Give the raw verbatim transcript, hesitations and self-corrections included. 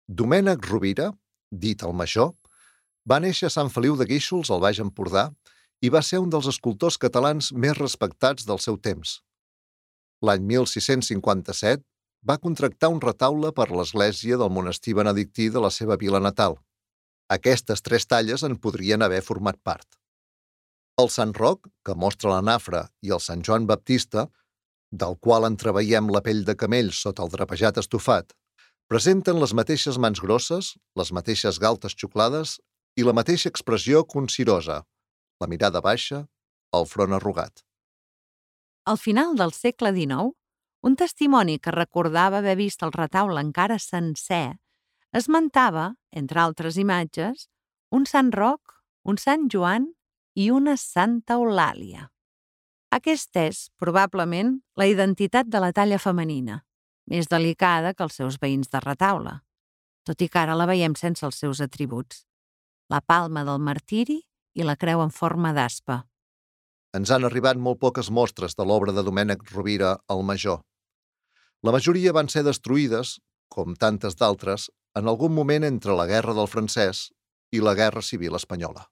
Domènec Rovira, dit el Major, va néixer a Sant Feliu de Guíxols, al Baix Empordà, i va ser un dels escultors catalans més respectats del seu temps. L'any mil sis-cents cinquanta-set va contractar un retaule per l'església del monestir benedictí de la seva vila natal. Aquestes tres talles en podrien haver format part. El Sant Roc, que mostra la nafra, i el Sant Joan Baptista, del qual entreveiem la pell de camell sota el drapejat estofat, presenten les mateixes mans grosses, les mateixes galtes xuclades i la mateixa expressió concirosa, la mirada baixa, el front arrugat. Al final del segle dinou, un testimoni que recordava haver vist el retaule encara sencer esmentava, entre altres imatges, un Sant Roc, un Sant Joan i una Santa Eulàlia. Aquesta és, probablement, la identitat de la talla femenina, més delicada que els seus veïns de retaule, tot i que ara la veiem sense els seus atributs, la palma del martiri i la creu en forma d'aspa. Ens han arribat molt poques mostres de l'obra de Domènec Rovira el Major. La majoria van ser destruïdes, com tantes d'altres, en algun moment entre la Guerra del Francès i la Guerra Civil Espanyola.